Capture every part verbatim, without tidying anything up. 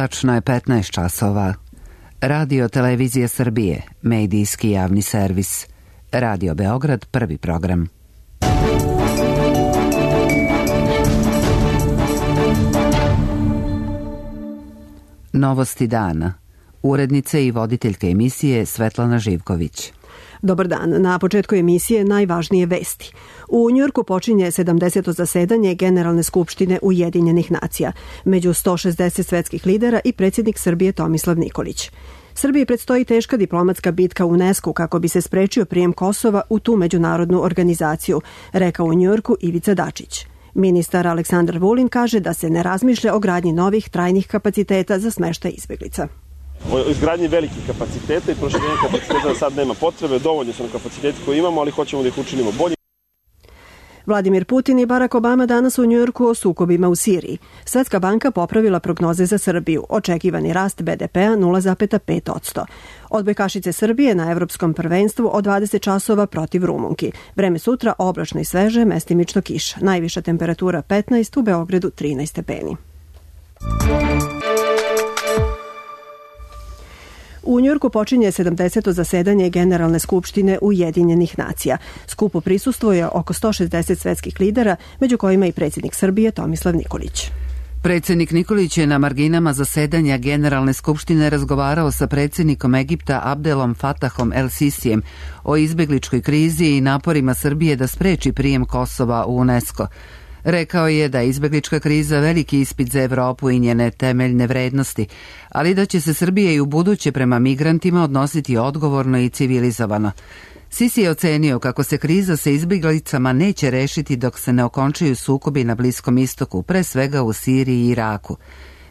Tačno je petnaest časova. Radio Televizija Srbije, medijski javni servis. Radio Beograd, prvi program. Novosti dana. Urednica i voditeljka emisije Svetlana Živković. Dobar dan. Na početku emisije najvažnije vesti. U Njujorku počinje sedamdeseto zasedanje Generalne skupštine Ujedinjenih nacija. Među sto šezdeset svetskih lidera i predsjednik Srbije Tomislav Nikolić. Srbiji predstoji teška diplomatska bitka u UNESCO kako bi se sprečio prijem Kosova u tu međunarodnu organizaciju, rekao u Njujorku Ivica Dačić. Ministar Aleksandar Vulin kaže da se ne razmišlja o gradnji novih trajnih kapaciteta za smeštaj izbjeglica. O izgradnji velikih kapaciteta i proširenja kapaciteta sad nema potrebe, dovoljno su nam kapaciteti koje imamo, ali hoćemo da ih učinimo bolje. Vladimir Putin i Barack Obama danas u Njujorku o sukobima u Siriji. Svetska banka popravila prognoze za Srbiju. Očekivani rast be de pea nula zarez pet posto. Odbojkašice Srbije na evropskom prvenstvu od dvadeset časova protiv Rumunki. Vreme sutra oblačno i sveže, mestimično kiša. Najviša temperatura petnaest, u Beogradu trinaest stepeni. U Njujorku počinje sedamdeseto zasedanje Generalne skupštine Ujedinjenih nacija. Skupu prisustvuje oko sto šezdeset svetskih lidera, među kojima i predsjednik Srbije Tomislav Nikolić. Predsjednik Nikolić je na marginama zasedanja Generalne skupštine razgovarao sa predsjednikom Egipta Abdelom Fatahom El Sisijem o izbjegličkoj krizi i naporima Srbije da spreči prijem Kosova u UNESCO. Rekao je da je izbjeglička kriza veliki ispit za Evropu i njene temeljne vrednosti, ali da će se Srbija i u buduće prema migrantima odnositi odgovorno i civilizovano. Sisi je ocenio kako se kriza sa izbjeglicama neće rešiti dok se ne okončaju sukobi na Bliskom istoku, pre svega u Siriji i Iraku.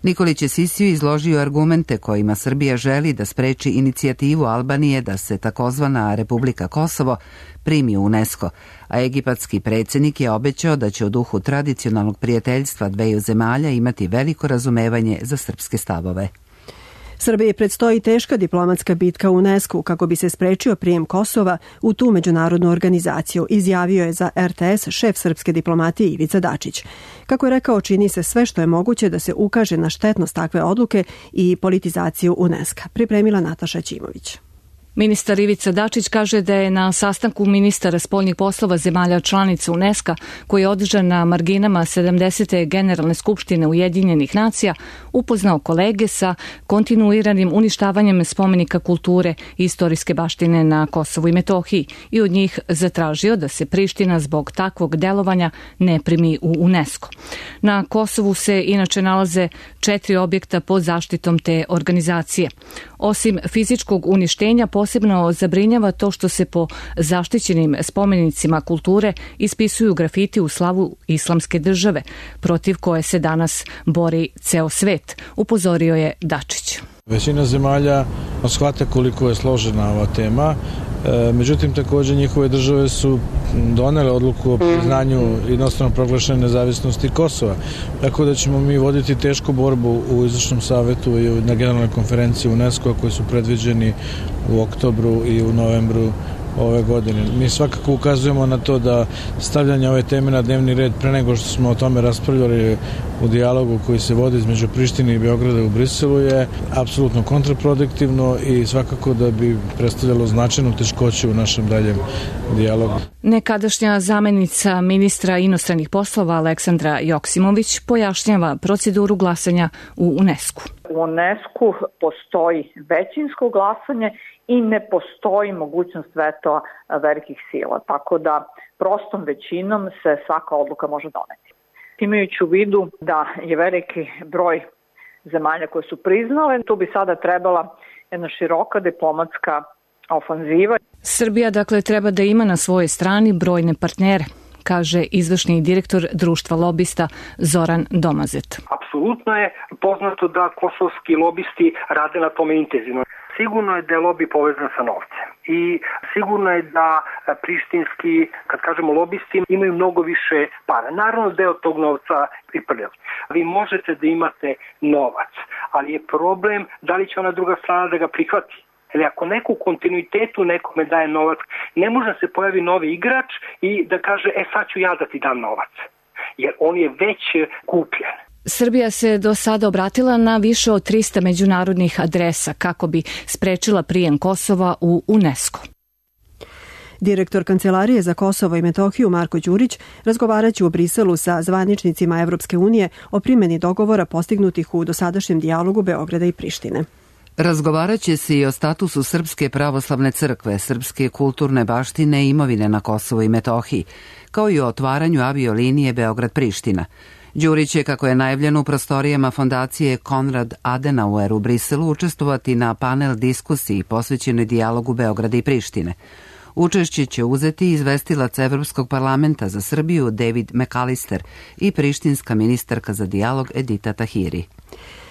Nikolić je Sisiju izložio argumente kojima Srbija želi da spreči inicijativu Albanije da se takozvana Republika Kosovo primi u UNESCO, a egipatski predsjednik je obećao da će u duhu tradicionalnog prijateljstva dveju zemalja imati veliko razumevanje za srpske stavove. Srbiji predstoji teška diplomatska bitka u UNESCO kako bi se sprečio prijem Kosova u tu međunarodnu organizaciju, izjavio je za er te es šef srpske diplomatije Ivica Dačić. Kako je rekao, čini se sve što je moguće da se ukaže na štetnost takve odluke i politizaciju UNESCO. Pripremila Nataša Ćimović. Ministar Ivica Dačić kaže da je na sastanku ministara spoljnih poslova zemalja članica UNESCO, koji je održan na marginama sedamdesete Generalne skupštine Ujedinjenih nacija, upoznao kolege sa kontinuiranim uništavanjem spomenika kulture i istorijske baštine na Kosovu i Metohiji i od njih zatražio da se Priština zbog takvog delovanja ne primi u UNESCO. Na Kosovu se inače nalaze četiri objekta pod zaštitom te organizacije. Osim fizičkog uništenja, posebno zabrinjava to što se po zaštićenim spomenicima kulture ispisuju grafiti u slavu islamske države, protiv koje se danas bori ceo svet, upozorio je Dačić. Većina zemalja shvata koliko je složena ova tema, međutim također njihove države su donele odluku o priznanju jednostavno proglašene nezavisnosti Kosova. Tako da ćemo mi voditi tešku borbu u izvršnom savetu i na generalnoj konferenciji UNESCO koji su predviđeni u oktobru i u novembru ove godine. Mi svakako ukazujemo na to da stavljanje ove teme na dnevni red pre nego što smo o tome raspravljali u dijalogu koji se vodi između Prištine i Beograda u Briselu je apsolutno kontraproduktivno i svakako da bi predstavljalo značajnu teškoću u našem daljem dijalogu. Nekadašnja zamenica ministra inostranih poslova Aleksandra Joksimović pojašnjava proceduru glasanja u UNESCO. U UNESCO postoji većinsko glasanje i ne postoji mogućnost vetoa velikih sila, tako da prostom većinom se svaka odluka može doneti. Imajući u vidu da je veliki broj zemalja koje su priznale, tu bi sada trebala jedna široka diplomatska ofanziva. Srbija dakle treba da ima na svojoj strani brojne partnere, kaže izvršni direktor društva lobista Zoran Domazet. Apsolutno je poznato da kosovski lobisti rade na tome intenzivno. Sigurno je da je lobi povezan sa novcem i sigurno je da prištinski, kad kažemo lobisti, imaju mnogo više para. Naravno deo tog novca priprljava. Vi možete da imate novac, ali je problem da li će ona druga strana da ga prihvati. Ili ako neko u kontinuitetu nekome daje novac, ne može da se pojavi novi igrač i da kaže, e sad ću ja da ti dam novac, jer on je već kupljen. Srbija se do sada obratila na više od trista međunarodnih adresa kako bi sprečila prijem Kosova u UNESCO. Direktor Kancelarije za Kosovo i Metohiju Marko Đurić razgovaraće u Briselu sa zvaničnicima Evropske unije o primjeni dogovora postignutih u dosadašnjem dijalogu Beograda i Prištine. Razgovaraće se i o statusu Srpske pravoslavne crkve, srpske kulturne baštine i imovine na Kosovo i Metohiji, kao i o otvaranju aviolinije Beograd-Priština. Đurić će, kako je najavljeno u prostorijama fondacije Konrad Adenauer u Briselu, učestvovati na panel diskusiji posvećenoj dijalogu Beograda i Prištine. Učešće će uzeti izvestilac Evropskog parlamenta za Srbiju David McAllister i prištinska ministarka za dijalog Edita Tahiri.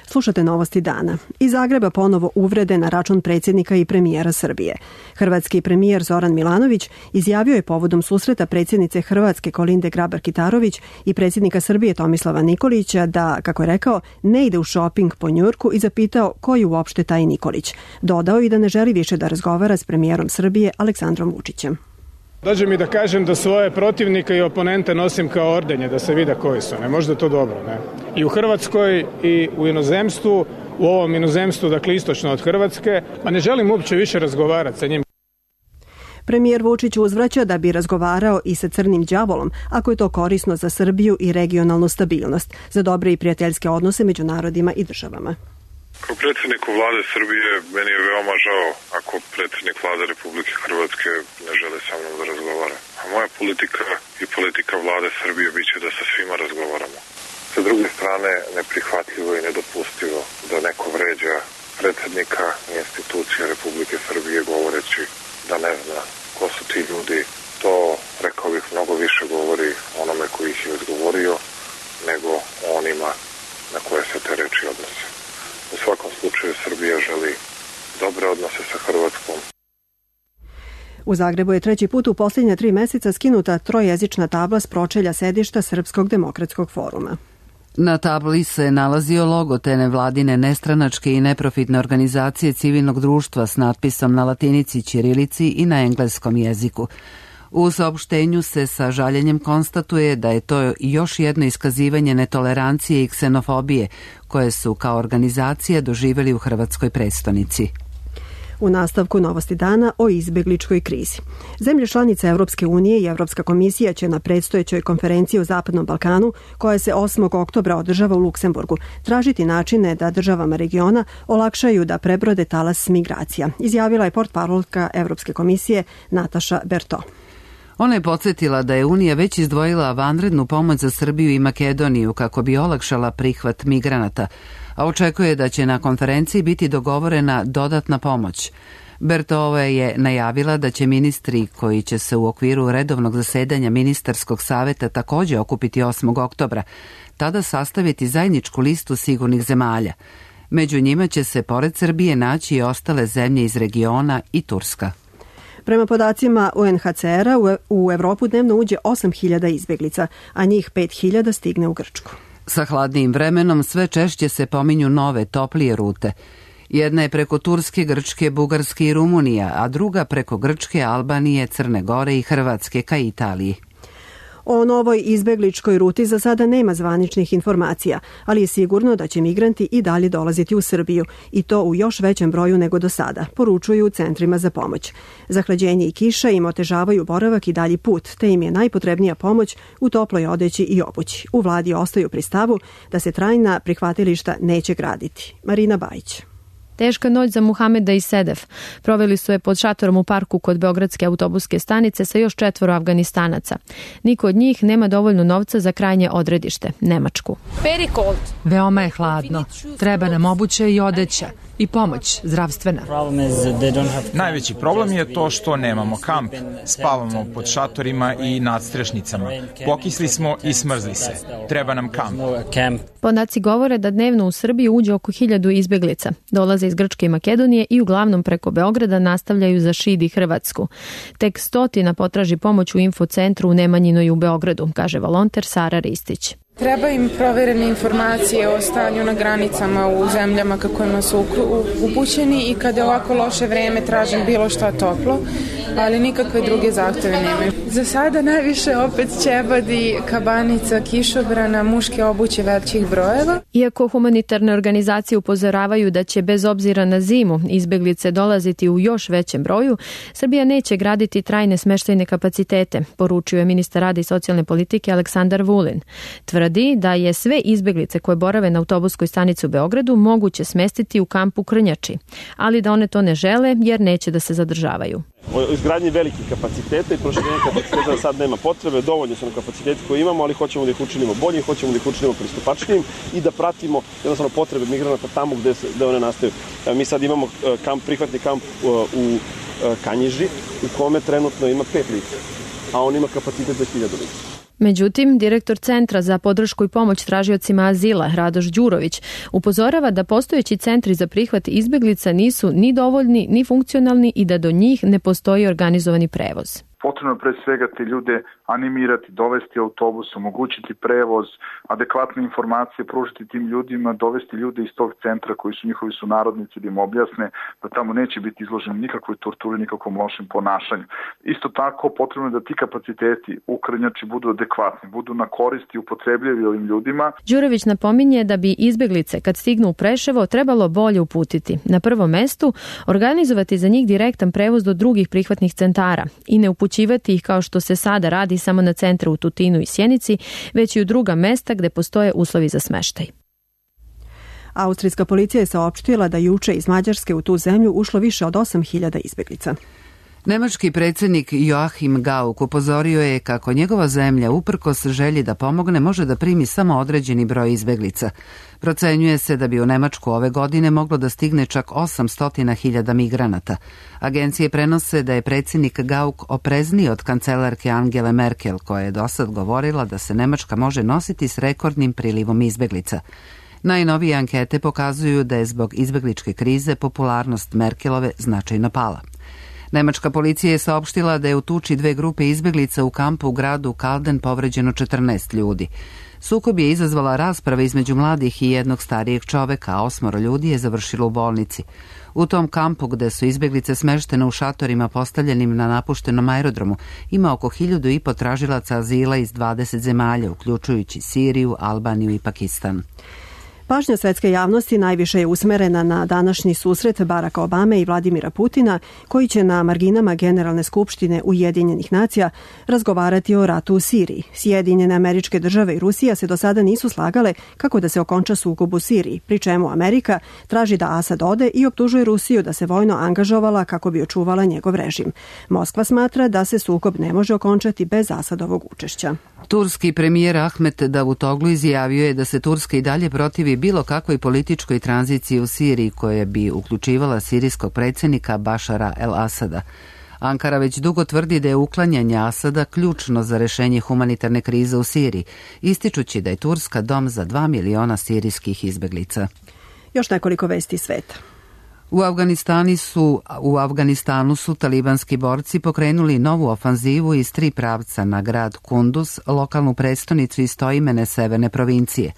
Slušate novosti dana. Iz Zagreba ponovo uvrede na račun predsjednika i premijera Srbije. Hrvatski premijer Zoran Milanović izjavio je povodom susreta predsjednice Hrvatske Kolinde Grabar-Kitarović i predsjednika Srbije Tomislava Nikolića da, kako je rekao, ne ide u šoping po Njujorku i zapitao ko je uopšte taj Nikolić. Dodao i da ne želi više da razgovara s premijerom Srbije Aleksandrom Vučićem. Dođe mi da kažem da svoje protivnike i oponente nosim kao ordenje, da se vide koji su. Ne, možda je to dobro, ne? I u Hrvatskoj i u inozemstvu, u ovom inozemstvu, dakle istočno od Hrvatske, a ne želim uopće više razgovarati sa njim. Premijer Vučić uzvraća da bi razgovarao i sa crnim đavolom, ako je to korisno za Srbiju i regionalnu stabilnost, za dobre i prijateljske odnose među narodima i državama. Kao predsjedniku vlade Srbije meni je veoma žao ako predsjednik vlade Republike Hrvatske ne žele sa mnom da razgovara. A moja politika i politika vlade Srbije biće da sa svima razgovaramo. Sa druge strane, neprihvatljivo i nedopustivo da neko vređa predsjednika i institucije Republike Srbije govoreći da ne zna ko su ti ljudi. To, rekao bih, mnogo više govori onome koji ih je izgovorio nego onima na koje se te reči odnose. U svakom slučaju Srbija želi dobre odnose sa Hrvatskom. U Zagrebu je treći put u posljednje tri meseca skinuta trojezična tabla s pročelja sedišta Srpskog demokratskog foruma. Na tabli se nalazio logo te nevladine nestranačke i neprofitne organizacije civilnog društva s natpisom na latinici, ćirilici i na engleskom jeziku. U saopštenju se sa žaljenjem konstatuje da je to još jedno iskazivanje netolerancije i ksenofobije koje su kao organizacija doživjeli u hrvatskoj prestonici. U nastavku novosti dana o izbjegličkoj krizi. Zemlje članice Evropske unije i Evropska komisija će na predstojećoj konferenciji o Zapadnom Balkanu, koja se osmog oktobra održava u Luksemburgu, tražiti načine da državama regiona olakšaju da prebrode talas migracija, izjavila je portparolka Evropske komisije Nataša Berto. Ona je podsjetila da je Unija već izdvojila vanrednu pomoć za Srbiju i Makedoniju kako bi olakšala prihvat migranata, a očekuje da će na konferenciji biti dogovorena dodatna pomoć. Bertova je najavila da će ministri koji će se u okviru redovnog zasedanja ministarskog saveta također okupiti osmog oktobra, tada sastaviti zajedničku listu sigurnih zemalja. Među njima će se pored Srbije naći i ostale zemlje iz regiona i Turska. Prema podacima U N H C R-a u Evropu dnevno uđe osam hiljada izbjeglica, a njih pet hiljada stigne u Grčku. Sa hladnijim vremenom sve češće se pominju nove, toplije rute. Jedna je preko Turske, Grčke, Bugarske i Rumunija, a druga preko Grčke, Albanije, Crne Gore i Hrvatske ka Italiji. O novoj izbegličkoj ruti za sada nema zvaničnih informacija, ali je sigurno da će migranti i dalje dolaziti u Srbiju i to u još većem broju nego do sada, poručuju u centrima za pomoć. Zahlađenje i kiša im otežavaju boravak i dalji put, te im je najpotrebnija pomoć u toploj odeći i obući. U vladi ostaju pri stavu da se trajna prihvatilišta neće graditi. Marina Bajić. Teška noć za Muhameda i Sedef. Proveli su je pod šatorom u parku kod Beogradske autobuske stanice sa još četvoro Afganistanaca. Niko od njih nema dovoljno novca za krajnje odredište, Nemačku. Veoma je hladno. Treba nam obuće i odeća. I pomoć, zdravstvena. Najveći problem je to što nemamo kamp. Spavamo pod šatorima i nadstrešnicama. Pokisli smo i smrzli se. Treba nam kamp. Podaci govore da dnevno u Srbiju uđe oko hiljadu izbjeglica. Dolaze iz Grčke i Makedonije i uglavnom preko Beograda nastavljaju za Šid i Hrvatsku. Tek stotina potraži pomoć u infocentru u Nemanjinoj u Beogradu, kaže volonter Sara Ristić. Treba im proverene informacije o stanju na granicama u zemljama kojima su upućeni i kada je ovako loše vreme tražim bilo šta toplo, ali nikakve druge zahteve nemaju. Za sada najviše opet ćebadi, kabanica, kišobrana, muške obuće većih brojeva. Iako humanitarne organizacije upozoravaju da će bez obzira na zimu izbeglice dolaziti u još većem broju, Srbija neće graditi trajne smeštajne kapacitete, poručio je ministar rada i socijalne politike Aleksandar Vulin. Tvrdi da je sve izbeglice koje borave na autobuskoj stanici u Beogradu moguće smestiti u kampu Krnjači, ali da one to ne žele jer neće da se zadržavaju. O izgradnji velikih kapaciteta i proširenja kapaciteta sad nema potrebe, dovoljno su nam kapaciteti koje imamo, ali hoćemo da ih učinimo boljim, hoćemo da ih učinimo pristupačnijim i da pratimo jednostavno potrebe migranata tamo gde, se, gde one nastaju. Mi sad imamo kamp, prihvatni kamp u Kanjiži u kome trenutno ima pet lica, a on ima kapacitet za hiljadu lica. Međutim, direktor Centra za podršku i pomoć tražiocima azila, Radoš Đurović, upozorava da postojeći centri za prihvat izbeglica nisu ni dovoljni, ni funkcionalni i da do njih ne postoji organizovani prevoz. Potrebno pre svega te ljude animirati, dovesti autobus, omogućiti prevoz, adekvatne informacije, pružiti tim ljudima, dovesti ljude iz tog centra koji su njihovi sunarodnici da im objasne da tamo neće biti izloženi nikakvoj torturi, nikakvom lošem ponašanju. Isto tako potrebno je da ti kapaciteti u Krnjači budu adekvatni, budu na korist i upotrebljivi ovim ljudima. Đurović napominje da bi izbeglice kad stignu u Preševo trebalo bolje uputiti. Na prvom mestu organizovati za njih direktan prevoz do drugih prihvatnih centara i ne upućivati ih kao što se sada radi samo na centre u Tutinu i Sjenici, već i u druga mesta gde postoje uslovi za smeštaj. Austrijska policija je saopštila da juče iz Mađarske u tu zemlju ušlo više od osam hiljada izbeglica. Nemački predsjednik Joachim Gauck upozorio je kako njegova zemlja, uprkos želji da pomogne, može da primi samo određeni broj izbeglica. Procenjuje se da bi u Nemačku ove godine moglo da stigne čak osamsto hiljada migranata. Agencije prenose da je predsjednik Gauck oprezniji od kancelarke Angele Merkel, koja je dosad govorila da se Nemačka može nositi s rekordnim prilivom izbeglica. Najnovije ankete pokazuju da je zbog izbegličke krize popularnost Merkelove značajno pala. Nemačka policija je saopštila da je u tuči dve grupe izbeglica u kampu u gradu Kalden povređeno četrnaest ljudi. Sukob je izazvala rasprava između mladih i jednog starijeg čoveka, a osmoro ljudi je završilo u bolnici. U tom kampu gde su izbeglice smeštene u šatorima postavljenim na napuštenom aerodromu ima oko hiljadu i po tražilaca azila iz dvadeset zemalja, uključujući Siriju, Albaniju i Pakistan. Pažnja svetske javnosti najviše je usmerena na današnji susret Baracka Obame i Vladimira Putina, koji će na marginama Generalne skupštine Ujedinjenih nacija razgovarati o ratu u Siriji. Sjedinjene Američke države i Rusija se do sada nisu slagale kako da se okonča sukob u Siriji, pri čemu Amerika traži da Asad ode i optužuje Rusiju da se vojno angažovala kako bi očuvala njegov režim. Moskva smatra da se sukob ne može okončati bez Asadovog učešća. Turski premijer Ahmet Davutoglu izjavio je da se Turska i dalje protivi bilo kakvoj političkoj tranziciji u Siriji koja bi uključivala sirijskog predsjednika Bašara el-Asada. Ankara već dugo tvrdi da je uklanjanje Asada ključno za rešenje humanitarne krize u Siriji, ističući da je Turska dom za dva miliona sirijskih izbeglica. Još nekoliko vesti sveta. U Afganistanu su, u Afganistanu su talibanski borci pokrenuli novu ofanzivu iz tri pravca na grad Kunduz, lokalnu prestonicu istoimene severne provincije.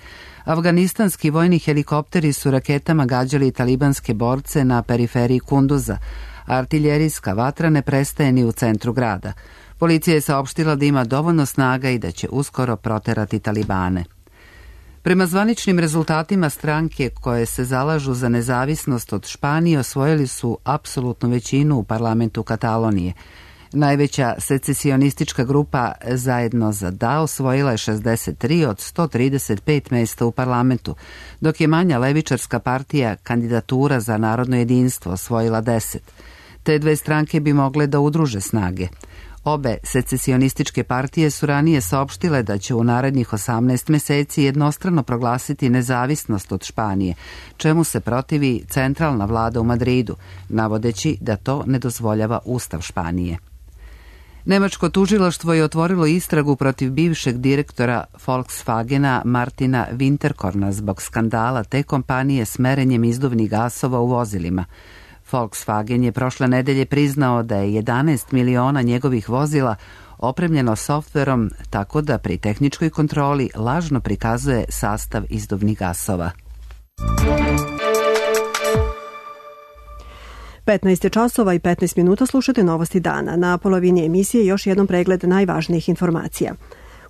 Afganistanski vojni helikopteri su raketama gađali talibanske borce na periferiji Kunduza. Artiljerijska vatra ne prestaje ni u centru grada. Policija je saopštila da ima dovoljno snaga i da će uskoro proterati talibane. Prema zvaničnim rezultatima stranke koje se zalažu za nezavisnost od Španije osvojili su apsolutnu većinu u parlamentu Katalonije. Najveća secesionistička grupa Zajedno za da osvojila je šezdeset tri od sto trideset pet mesta u parlamentu, dok je manja levičarska partija Kandidatura za narodno jedinstvo osvojila deset. Te dve stranke bi mogle da udruže snage. Obe secesionističke partije su ranije saopštile da će u narednih osamnaest meseci jednostrano proglasiti nezavisnost od Španije, čemu se protivi centralna vlada u Madridu, navodeći da to ne dozvoljava Ustav Španije. Nemačko tužilaštvo je otvorilo istragu protiv bivšeg direktora Volkswagena Martina Winterkorna zbog skandala te kompanije s merenjem izduvnih gasova u vozilima. Volkswagen je prošle nedelje priznao da je jedanaest miliona njegovih vozila opremljeno softverom tako da pri tehničkoj kontroli lažno prikazuje sastav izduvnih gasova. petnaest časova i petnaest minuta, slušate Novosti dana. Na polovini emisije još jednom pregled najvažnijih informacija.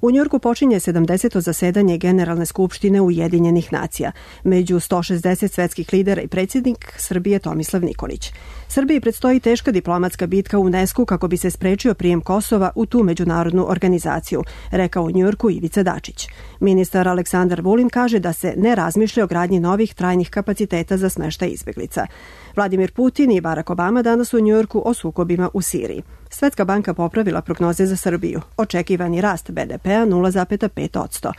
U Njujorku počinje sedamdeseto zasedanje Generalne skupštine Ujedinjenih nacija. Među sto šezdeset svetskih lidera i predsjednik Srbije Tomislav Nikolić. Srbiji predstoji teška diplomatska bitka u UNESCO kako bi se sprečio prijem Kosova u tu međunarodnu organizaciju, rekao u Njujorku Ivica Dačić. Ministar Aleksandar Vulin kaže da se ne razmišlja o gradnji novih trajnih kapaciteta za smeštaj izbeglica. Vladimir Putin i Barack Obama danas u Njujorku o sukobima u Siriji. Svetska banka popravila prognoze za Srbiju. Očekivani rast be de pea nula zarez pet posto.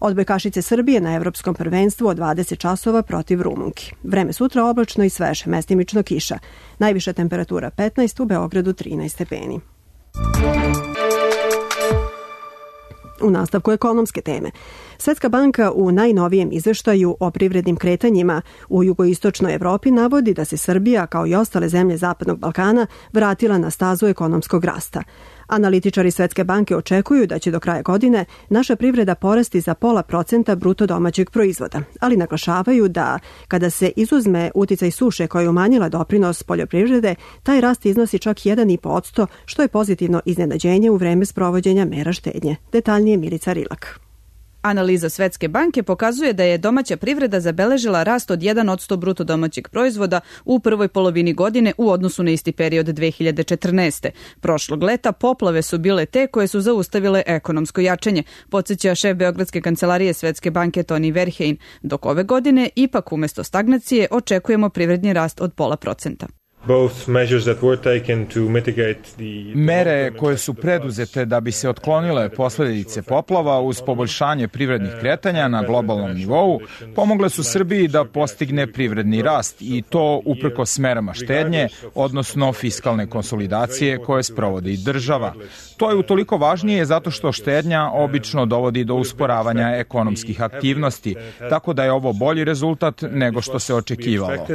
Odbojkašice Srbije na evropskom prvenstvu od dvadeset časova protiv Rumunki. Vreme sutra oblačno i sveže, mestimično kiša. Najviša temperatura petnaest, u Beogradu trinaest stepeni. U nastavku ekonomske teme. Svetska banka u najnovijem izveštaju o privrednim kretanjima u jugoistočnoj Evropi navodi da se Srbija, kao i ostale zemlje Zapadnog Balkana, vratila na stazu ekonomskog rasta. Analitičari Svetske banke očekuju da će do kraja godine naša privreda porasti za pola procenta bruto domaćeg proizvoda, ali naglašavaju da kada se izuzme uticaj suše koja je umanjila doprinos poljoprivrede, taj rast iznosi čak jedan zarez pet posto, što je pozitivno iznenađenje u vreme sprovođenja mera štednje. Detaljnije Milica Rilak. Analiza Svetske banke pokazuje da je domaća privreda zabeležila rast od jedan posto bruto domaćeg proizvoda u prvoj polovini godine u odnosu na isti period dve hiljade četrnaeste. Prošlog leta poplave su bile te koje su zaustavile ekonomsko jačanje, podsjeća šef Beogradske kancelarije Svetske banke Toni Verheyen, dok ove godine ipak umesto stagnacije očekujemo privredni rast od pola procenta. Mere koje su preduzete da bi se otklonile posledice poplava uz poboljšanje privrednih kretanja na globalnom nivou pomogle su Srbiji da postigne privredni rast i to uprkos merama štednje, odnosno fiskalne konsolidacije koje sprovodi država. To je utoliko važnije zato što štednja obično dovodi do usporavanja ekonomskih aktivnosti, tako da je ovo bolji rezultat nego što se očekivalo.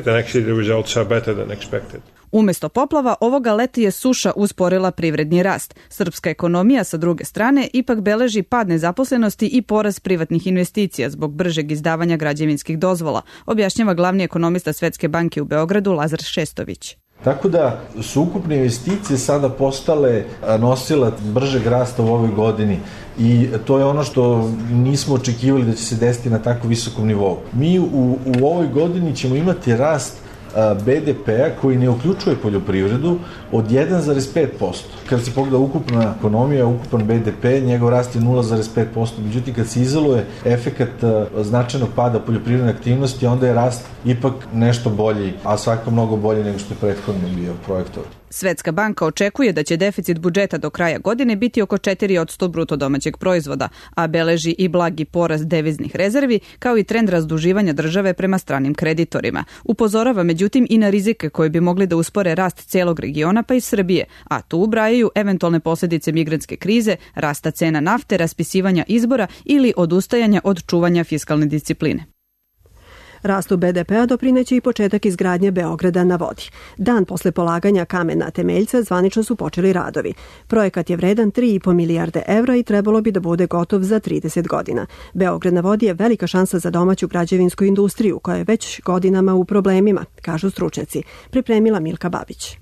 Umesto poplava, ovoga leta je suša usporila privredni rast. Srpska ekonomija, sa druge strane, ipak beleži pad nezaposlenosti i porast privatnih investicija zbog bržeg izdavanja građevinskih dozvola, objašnjava glavni ekonomista Svetske banke u Beogradu Lazar Šestović. Tako da su ukupne investicije sada postale nosilac bržeg rasta u ovoj godini i to je ono što nismo očekivali da će se desiti na tako visokom nivou. Mi u, u ovoj godini ćemo imati rast be de pea koji ne uključuje poljoprivredu od jedan zarez pet posto. Kad se pogleda ukupna ekonomija, ukupan be de pe, njegov rast je nula zarez pet posto. Međutim, kad se izoluje efekat značajnog pada poljoprivredne aktivnosti, onda je rast ipak nešto bolji, a svakako mnogo bolji nego što je prethodno bio projektovan. Svetska banka očekuje da će deficit budžeta do kraja godine biti oko četiri posto bruto domaćeg proizvoda, a beleži i blagi porast deviznih rezervi, kao i trend razduživanja države prema stranim kreditorima. Upozorava međutim i na rizike koje bi mogli da uspore rast celog regiona pa i Srbije, a tu ubrajaju eventualne posljedice migrantske krize, rasta cena nafte, raspisivanja izbora ili odustajanja od čuvanja fiskalne discipline. Rastu be de pea doprineće i početak izgradnje Beograda na vodi. Dan posle polaganja kamena temeljca zvanično su počeli radovi. Projekat je vredan tri i po milijarde evra i trebalo bi da bude gotov za trideset godina. Beograd na vodi je velika šansa za domaću građevinsku industriju koja je već godinama u problemima, kažu stručnjaci. Pripremila Milka Babić.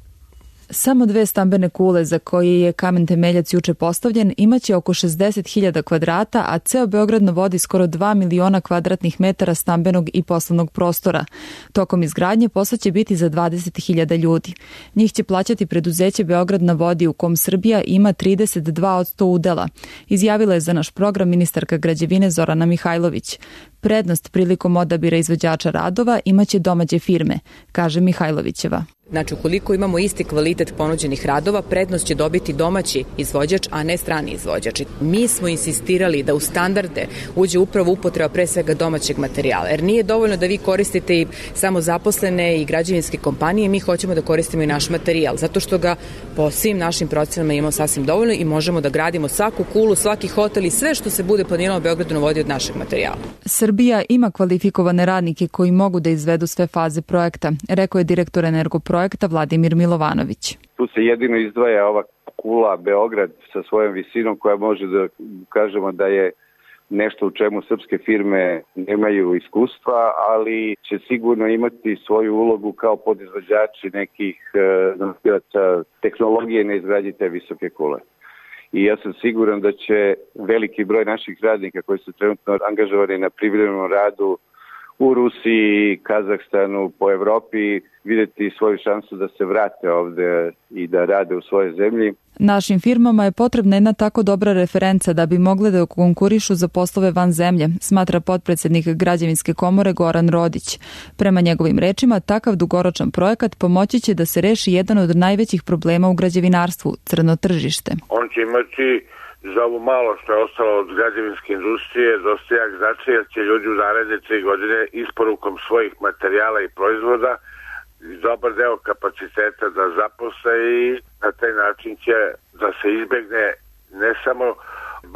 Samo dve stambene kule za koje je kamen temeljac juče postavljen imaće oko šezdeset hiljada kvadrata, a ceo Beograd na vodi skoro dva miliona kvadratnih metara stambenog i poslovnog prostora. Tokom izgradnje posao će biti za dvadeset hiljada ljudi. Njih će plaćati preduzeće Beograd na vodi u kom Srbija ima trideset dva posto udela. Izjavila je za naš program ministarka građevine Zorana Mihajlović. Prednost prilikom odabira izvođača radova imaće domaće firme, kaže Mihajlovićeva. Znači, ukoliko imamo isti kvalitet ponuđenih radova, prednost će dobiti domaći izvođač, a ne strani izvođač. Mi smo insistirali da u standarde uđe upravo upotreba pre svega domaćeg materijala, jer nije dovoljno da vi koristite i samo zaposlene i građevinske kompanije, mi hoćemo da koristimo i naš materijal, zato što ga po svim našim procenama imamo sasvim dovoljno i možemo da gradimo svaku kulu, svaki hotel i sve što se bude planirano u Beogradu na vodi od našeg materijala. Srbija ima kvalifikovane radnike koji mogu da izvedu sve faze projekta, rekao je direktor Energoprojekta Vladimir Milovanović. Tu se jedino izdvaja ova kula Beograd sa svojom visinom koja može da kažemo da je nešto u čemu srpske firme nemaju iskustva, ali će sigurno imati svoju ulogu kao podizvođači nekih nosilaca tehnologije na izgradnji te visoke kule. I ja sam siguran da će veliki broj naših radnika koji su trenutno angažovani na privremenom radu u Rusiji, Kazahstanu, po Evropi, vidjeti svoju šansu da se vrate ovde i da rade u svojoj zemlji. Našim firmama je potrebna jedna tako dobra referenca da bi mogle da konkurišu za poslove van zemlje, smatra potpredsednik Građevinske komore Goran Rodić. Prema njegovim rečima, takav dugoročan projekat pomoći će da se reši jedan od najvećih problema u građevinarstvu, crno tržište. On će imati za ovo malo što je ostalo od građevinske industrije dosta jak značaj, jer će ljudi u naredne tri godine isporukom svojih materijala i proizvoda dobar deo kapaciteta da zaposle i na taj način će da se izbegne ne samo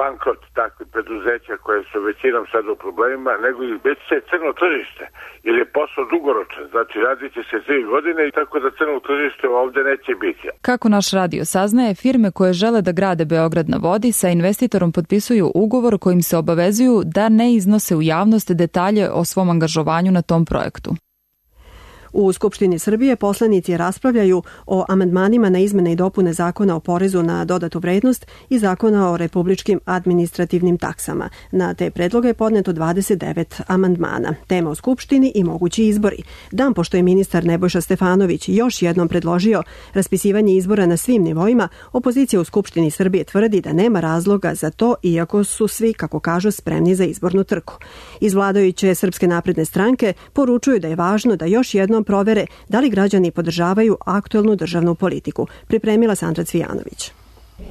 bankrot takvih preduzeća koje su većinom sad u problemima, nego i već se crno tržište, jer je posao dugoročan. Znači radit će se tri godine i tako da crno tržište ovde neće biti. Kako naš radio saznaje, firme koje žele da grade Beograd na vodi sa investitorom potpisuju ugovor kojim se obavezuju da ne iznose u javnost detalje o svom angažovanju na tom projektu. U Skupštini Srbije poslanici raspravljaju o amandmanima na izmene i dopune Zakona o porezu na dodatu vrednost i Zakona o republičkim administrativnim taksama. Na te predloge je podneto dvadeset devet amandmana. Tema o Skupštini i mogući izbori. Dan pošto je ministar Nebojša Stefanović još jednom predložio raspisivanje izbora na svim nivoima, opozicija u Skupštini Srbije tvrdi da nema razloga za to, iako su svi, kako kažu, spremni za izbornu trku. Iz vladajuće Srpske napredne stranke poručuju da je važno da još jednom provere da li građani podržavaju aktuelnu državnu politiku. Pripremila Sandra Cvijanović.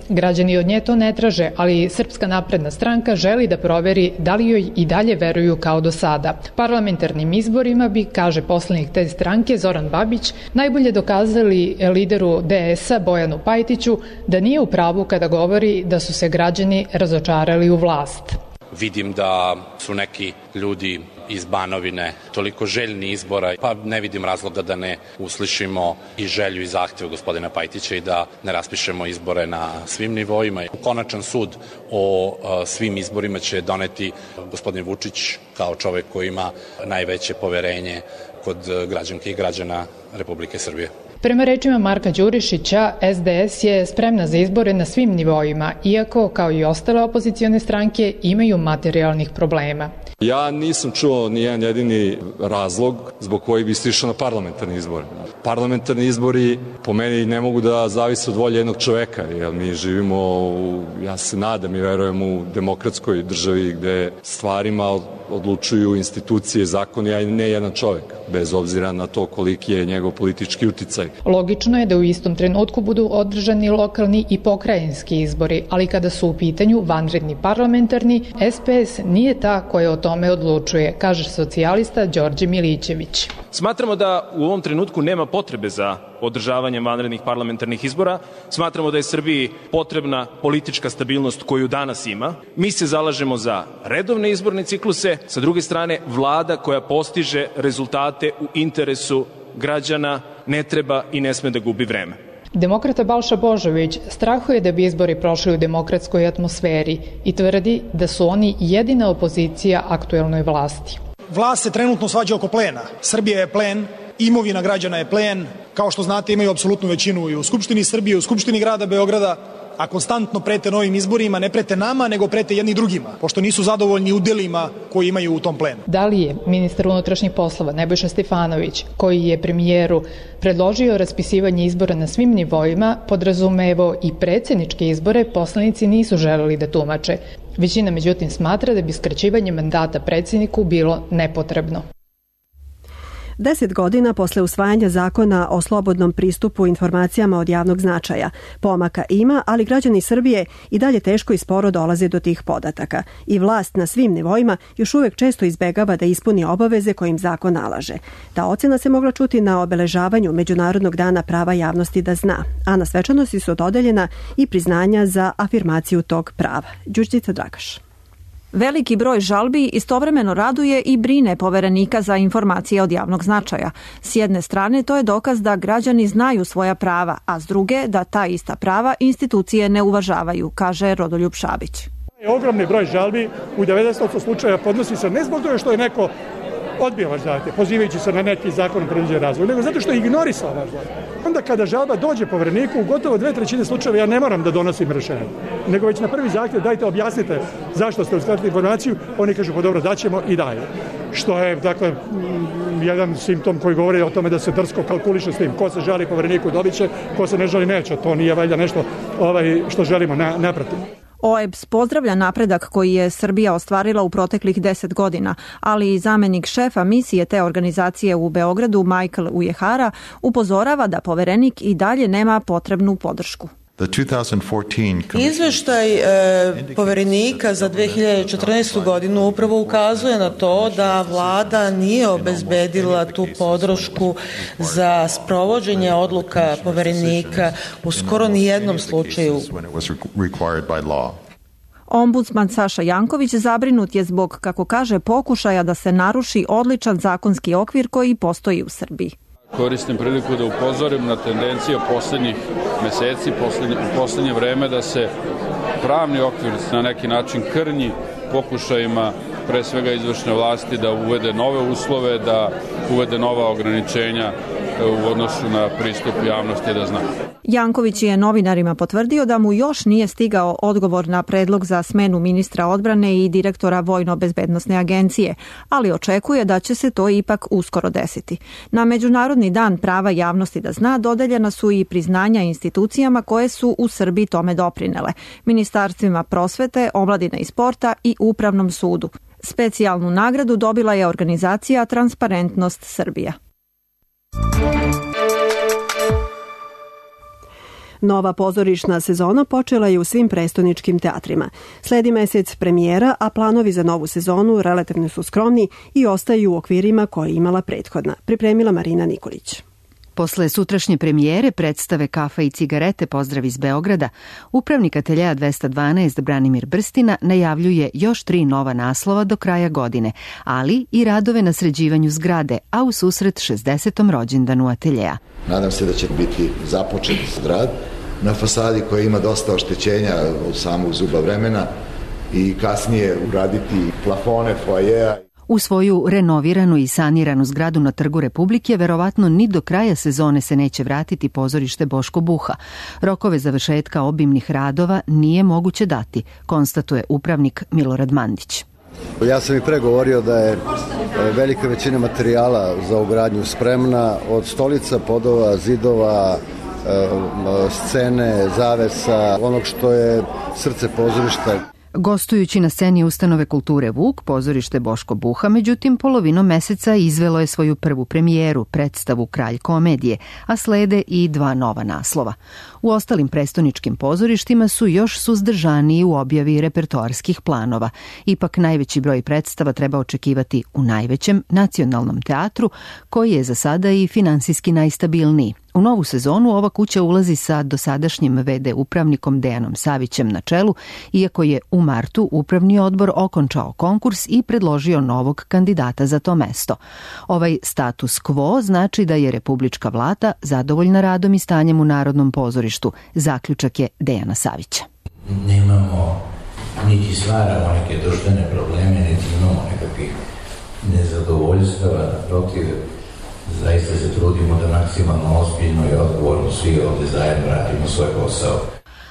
Građani od nje to ne traže, ali Srpska napredna stranka želi da proveri da li joj i dalje veruju kao do sada. Parlamentarnim izborima bi, kaže poslanik te stranke Zoran Babić, najbolje dokazali lideru D S-a Bojanu Pajtiću da nije u pravu kada govori da su se građani razočarali u vlast. Vidim da su neki ljudi iz Banovine toliko željni izbora, pa ne vidim razloga da ne uslišimo i želju i zahtev gospodina Pajtića i da ne raspišemo izbore na svim nivoima. Konačan sud o svim izborima će doneti gospodin Vučić kao čovek koji ima najveće poverenje kod građanke i građana Republike Srbije. Prema rečima Marka Đurišića, S D S je spremna za izbore na svim nivoima, iako, kao i ostale opozicione stranke, imaju materijalnih problema. Ja nisam čuo ni jedan jedini razlog zbog koji bi se išao na parlamentarni izbor. Parlamentarni izbori po meni ne mogu da zavise od volje jednog čoveka, jer mi živimo, u, ja se nadam i verujem, u demokratskoj državi gde stvarima odlučuju institucije, zakoni, a ne jedan čovek, bez obzira na to koliki je njegov politički uticaj. Logično je da u istom trenutku budu održani lokalni i pokrajinski izbori, ali kada su u pitanju vanredni parlamentarni, S P S nije ta koja o tome odlučuje, kaže socijalista Đorđe Milićević. Smatramo da u ovom trenutku nema potrebe za održavanjem vanrednih parlamentarnih izbora. Smatramo da je Srbiji potrebna politička stabilnost koju danas ima. Mi se zalažemo za redovne izborne cikluse, sa druge strane vlada koja postiže rezultate u interesu građana ne treba i ne sme da gubi vreme. Demokrata Balša Božović strahuje da bi izbori prošli u demokratskoj atmosferi i tvrdi da su oni jedina opozicija aktuelnoj vlasti. Vlast se trenutno svađa oko plena. Srbija je plen, imovina građana je plen. Kao što znate, imaju apsolutnu većinu i u Skupštini Srbije, u Skupštini grada Beograda, a konstantno prete novim izborima, ne prete nama, nego prete jedni drugima, pošto nisu zadovoljni udelima koji imaju u tom plenu. Da li je ministar unutrašnjih poslova Nebojša Stefanović, koji je premijeru predložio raspisivanje izbora na svim nivoima, podrazumevo i predsjedničke izbore, poslanici nisu želeli da tumače. Većina međutim smatra da bi skraćivanje mandata predsjedniku bilo nepotrebno. Deset godina posle usvajanja zakona o slobodnom pristupu informacijama od javnog značaja. Pomaka ima, ali građani Srbije i dalje teško i sporo dolaze do tih podataka. I vlast na svim nivoima još uvek često izbegava da ispuni obaveze kojim zakon nalaže. Ta ocena se mogla čuti na obeležavanju Međunarodnog dana prava javnosti da zna, a na svečanosti su dodeljena i priznanja za afirmaciju tog prava. Đurđica Dragaš. Veliki broj žalbi istovremeno raduje i brine Poverenika za informacije od javnog značaja. S jedne strane to je dokaz da građani znaju svoja prava, a s druge da ta ista prava institucije ne uvažavaju, kaže Rodoljub Šabić. Ogromni broj žalbi u devedeset posto slučajeva podnosi se ne zbog toga što je neko odbio vaš zahtjev, pozivajući se na neki zakonom predviđen razvoj, nego zato što je ignorisao vaš zahtjev. Onda kada žalba dođe Povereniku, u gotovo dve trećine slučajeva ja ne moram da donosim rešenje, nego već na prvi zahtjev dajte objasnite zašto ste uskratili informaciju, oni kažu pa dobro daćemo i daje. Što je dakle jedan simptom koji govori o tome da se drsko kalkuliše s tim. Ko se žali Povereniku dobit će, ko se ne žali neće. To nije valjda nešto ovaj, što želimo na, naprotiv. O E B S pozdravlja napredak koji je Srbija ostvarila u proteklih deset godina, ali i zamenik šefa misije te organizacije u Beogradu, Michael Ujehara, upozorava da Poverenik i dalje nema potrebnu podršku. Izveštaj e, Poverenika za dve hiljade četrnaestu. godinu upravo ukazuje na to da vlada nije obezbedila tu podršku za sprovođenje odluka Poverenika u skoro ni jednom slučaju. Ombudsman Saša Janković zabrinut je zbog, kako kaže, pokušaja da se naruši odličan zakonski okvir koji postoji u Srbiji. Koristim priliku da upozorim na tendencije poslednjih meseci, poslednje, u poslednje vreme da se pravni okvir na neki način krnji pokušajima pre svega izvršne vlasti da uvede nove uslove, da uvede nova ograničenja u odnosu na pristup javnosti da zna. Janković je novinarima potvrdio da mu još nije stigao odgovor na predlog za smenu ministra odbrane i direktora Vojno-bezbednosne agencije, ali očekuje da će se to ipak uskoro desiti. Na Međunarodni dan prava javnosti da zna dodeljena su i priznanja institucijama koje su u Srbiji tome doprinele, ministarstvima prosvete, omladine i sporta i Upravnom sudu. Specijalnu nagradu dobila je organizacija Transparentnost Srbija. Nova pozorišna sezona počela je u svim prestoničkim teatrima. Sledi mesec premijera, a planovi za novu sezonu relativno su skromni i ostaju u okvirima koje je imala prethodna, pripremila Marina Nikolić. Posle sutrašnje premijere predstave Kafa i cigarete Pozdrav iz Beograda, upravnik ateljeja dvesta dvanaest Branimir Brstina najavljuje još tri nova naslova do kraja godine, ali i radove na sređivanju zgrade, a u susret šezdesetom rođendanu ateljeja. Nadam se da će biti započet rad na fasadi koja ima dosta oštećenja od samog zuba vremena i kasnije uraditi plafone foajeja. U svoju renoviranu i saniranu zgradu na Trgu Republike verovatno ni do kraja sezone se neće vratiti pozorište Boško Buha. Rokove završetka obimnih radova nije moguće dati, konstatuje upravnik Milorad Mandić. Ja sam i pre govorio da je velika većina materijala za ugradnju spremna, od stolica, podova, zidova, scene, zavesa, onog što je srce pozorišta. Gostujući na sceni ustanove kulture Vuk, pozorište Boško Buha, međutim, polovinom meseca izvelo je svoju prvu premijeru, predstavu Kralj komedije, a slede i dva nova naslova. U ostalim prestoničkim pozorištima su još suzdržaniji u objavi repertoarskih planova. Ipak najveći broj predstava treba očekivati u najvećem nacionalnom teatru, koji je za sada i finansijski najstabilniji. U novu sezonu ova kuća ulazi sa dosadašnjim ve de upravnikom Dejanom Savićem na čelu, iako je u martu upravni odbor okončao konkurs i predložio novog kandidata za to mesto. Ovaj status quo znači da je republička vlada zadovoljna radom i stanjem u Narodnom pozorištu, zaključak je Dejana Savića. Nemamo niti stvaramo neke društvene probleme, niti imamo nekakvih nezadovoljstava, protiv. Zaista se trudimo da maksimalno ozbiljno i odgovorno svi ovde zajedno radimo svoj posao.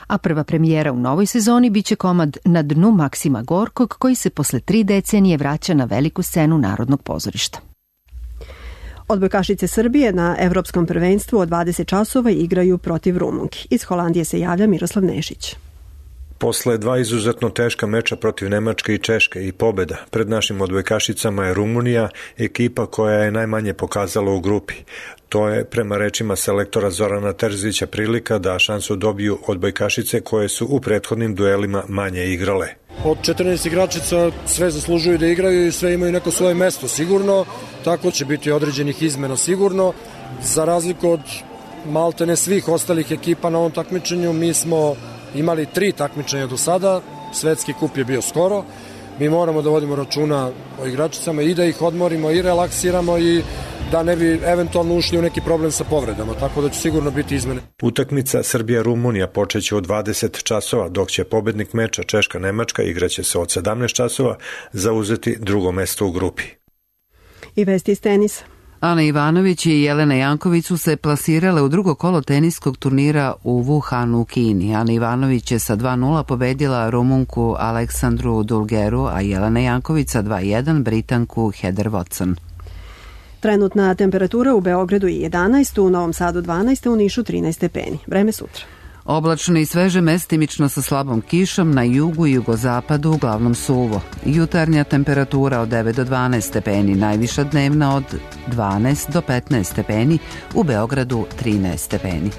A prva premijera u novoj sezoni biće komad Na dnu Maksima Gorkog, koji se posle tri decenije vraća na veliku scenu Narodnog pozorišta. Odbojkašice Srbije na Evropskom prvenstvu od dvadeset časova igraju protiv Rumunki. Iz Holandije se javlja Miroslav Nešić. Posle dva izuzetno teška meča protiv Nemačke i Češke i pobeda pred našim odbojkašicama je Rumunija, ekipa koja je najmanje pokazala u grupi. To je, prema rečima selektora Zorana Terzića, prilika da šansu dobiju odbojkašice koje su u prethodnim duelima manje igrale. Od četrnaest igračica sve zaslužuju da igraju i sve imaju neko svoje mesto sigurno, tako će biti određenih izmena sigurno. Za razliku od maltene svih ostalih ekipa na ovom takmičenju, mi smo imali tri takmičenja do sada, svetski kup je bio skoro, mi moramo da vodimo računa o igračicama i da ih odmorimo i relaksiramo i da ne bi eventualno ušli u neki problem sa povredama, tako da će sigurno biti izmene. Utakmica Srbija-Rumunija počeće od dvadeset časova, dok će pobednik meča Češka-Nemačka igraće se od sedamnaest časova zauzeti drugo mesto u grupi. I vesti iz tenisa. Ana Ivanović i Jelena Janković su se plasirale u drugo kolo teniskog turnira u Wuhanu u Kini. Ana Ivanović je sa dva nula pobedila Rumunku Aleksandru Dulgeru, a Jelena Janković sa dva jedan Britanku Heather Watson. Trenutna temperatura u Beogradu je jedanaest, u Novom Sadu dvanaest, u Nišu trinaest stepeni. Vreme sutra. Oblačno i sveže, mestimično sa slabom kišom, na jugu i jugozapadu uglavnom suvo. Jutarnja temperatura od devet do dvanaest stepeni, najviša dnevna od dvanaest do petnaest stepeni, u Beogradu trinaest stepeni.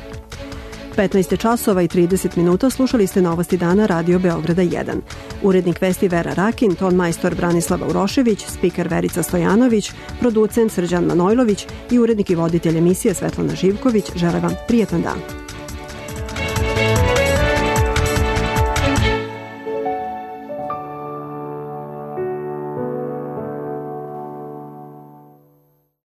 petnaest časova i trideset minuta, slušali ste Novosti dana Radio Beograda jedan. Urednik vesti Vera Rakin, ton majstor Branislava Urošević, spiker Verica Stojanović, producent Srđan Manojlović i urednik i voditelj emisije Svetlana Živković žele vam prijetan dan.